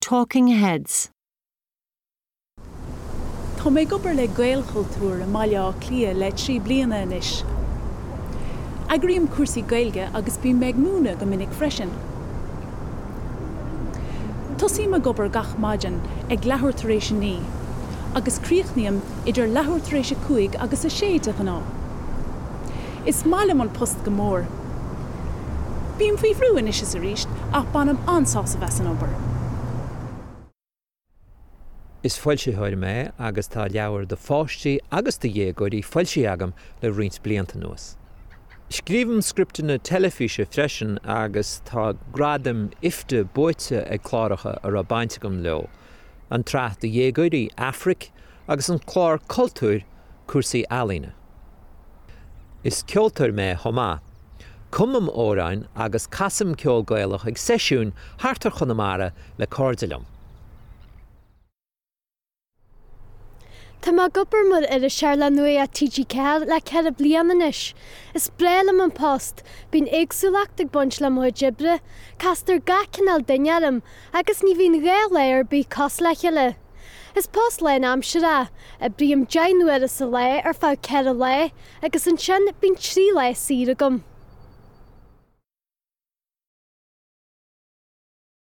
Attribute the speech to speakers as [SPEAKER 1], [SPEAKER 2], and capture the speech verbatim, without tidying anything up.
[SPEAKER 1] Talking Heads.
[SPEAKER 2] Tá mé ag obair le Gaelchultúr i mBaile Átha Cliath le trí bliana anois. Eagraím cúrsaí Gaeilge agus bím ag múineadh go minic freisin. Tosaím ag obair gach maidin ag leathuair tar éis a naoi, agus críochnaím idir leathuair tar éis a cúig agus a sé de ghnáth. Is maith liom an post go mór. Bím faoi bhrú anois is arís ach bainim an-sásamh as an obair.
[SPEAKER 3] Is foilsitheoir mé agus tá leabhair do pháistí agus do dhéagóirí foilsithe agam le roinnt blianta anuas. Scríobhaim scripteanna teilifíse freisin agus tá gradaim IFTA buaite ag cláracha a raibh baint agam leo. An tsraith do dhéagóirí Aifric agus an clár cultúir cúrsaí ealaíne. Is ceoltóir mé chomh maith. Cumaim amhráin agus casaim ceol Gaelach ag seisiúin thart ar Chonamara le cairde liom.
[SPEAKER 4] Tá mé ag obair mar iriseoir le Nuacht TG Ceathair le ceithre bliana anois. Is breá liom an post, bíonn éagsúlacht ag baint le mo chuid oibre, castar gach cineál duine orm, agus ní bhíonn dhá lá ar bith cosúil le chéile. Is post lánaimseartha é, oibrím deich n-uaire sa lá ar feadh ceithre lá, agus ansin bíonn trí lá saor agam.